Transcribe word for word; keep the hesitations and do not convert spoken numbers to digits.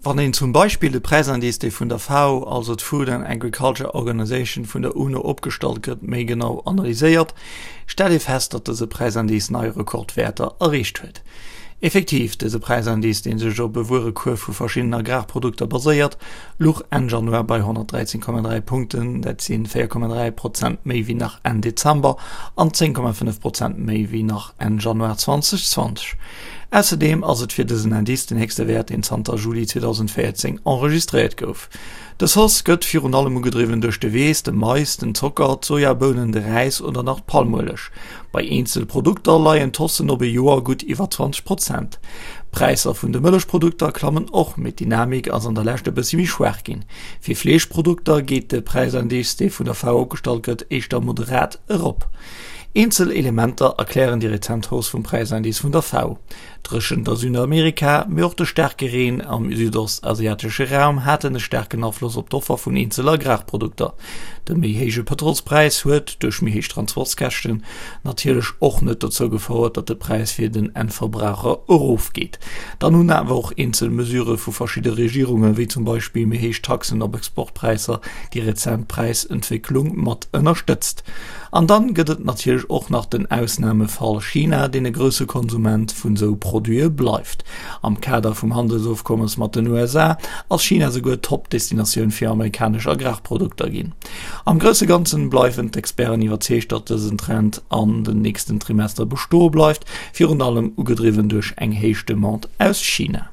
Wann een zum Beispill de Präisindice, dee vun der FAO, also d'Food and Agriculture Organization vun der UNO opgestallt gëtt, méi genau analyséiert, stellt ee fest, datt dëse Präisindice nei Rekordwäerter erreecht huet. Effektiv, dëse Präisindice, dee sech op e Wuerekuerf vu verschiddenen Agrarprodukter baséiert, luch Enn Januar bei honnertdräizéng Komma dräi Punkten, dat si véier Komma dräi Prozent méi wéi nach Enn Dezember an zéng Komma fënnef Prozent méi wéi nach Enn Januar zweitausendzwanzeg. Ausserdeem ass et fir dësen Indice den héchste Wäert, deen zanter Juli zweedausendvéierzéng enregistréiert gouf. Dës Hausse gëtt virun allem ugedriwwen duerch de Weess, de Mais, den Zocker, d'Sojabounen, de Räis oder nach d'Palmueleg. Bei eenzel Produkter leien d'Haussen op e Joer gutt iwwer zwanzeg Prozent. D'Präisser vun de Mëllechprodukter klammen och, mee d'Dynamik ass an der Lescht e bëssi méi schwaach ginn. Fir Fleeschprodukter geet de Präisindice, dee vun der FAO opgestallt gëtt, éischter moderat erop. Eenzel Elementer erklären déi rezent Hausse vum Präisindice vun der FAO. D'Dréchent a Südamerika, mee och de staarke Reen am südostasiatesche Raum haten e staarken Afloss op d'Offer vun eenzel Agrarprodukter. De méi héije Pëtrolspräis huet, duerch méi héich Transportskäschten, natierlech och net dozou gefouert, datt de Präis fir den Endverbraucher erofgeet. Dann hunn awer och eenzel Mesurë vu verschidde Regierungen, wéi zum Beispill méi héich Taxen op Exportpräisser, déi rezent Präisentwécklung mat ënnerstëtzt. An dann gëtt et natierlech och nach den Ausnamefall China, deen e grousse Konsument vun esou Produite bleift. Am Kader vum Handelsofkommes mat den U S A ass China souguer Top-Destinatioun fir amerikanesch Agrarprodukter ginn. Am grousse Ganzen bleiwen d'Experten iwwerzeegt, datt dësen Trend an den nächsten Trimester bestoe bleift, virun allem ugedriwwen duerch eng héich Demande aus China.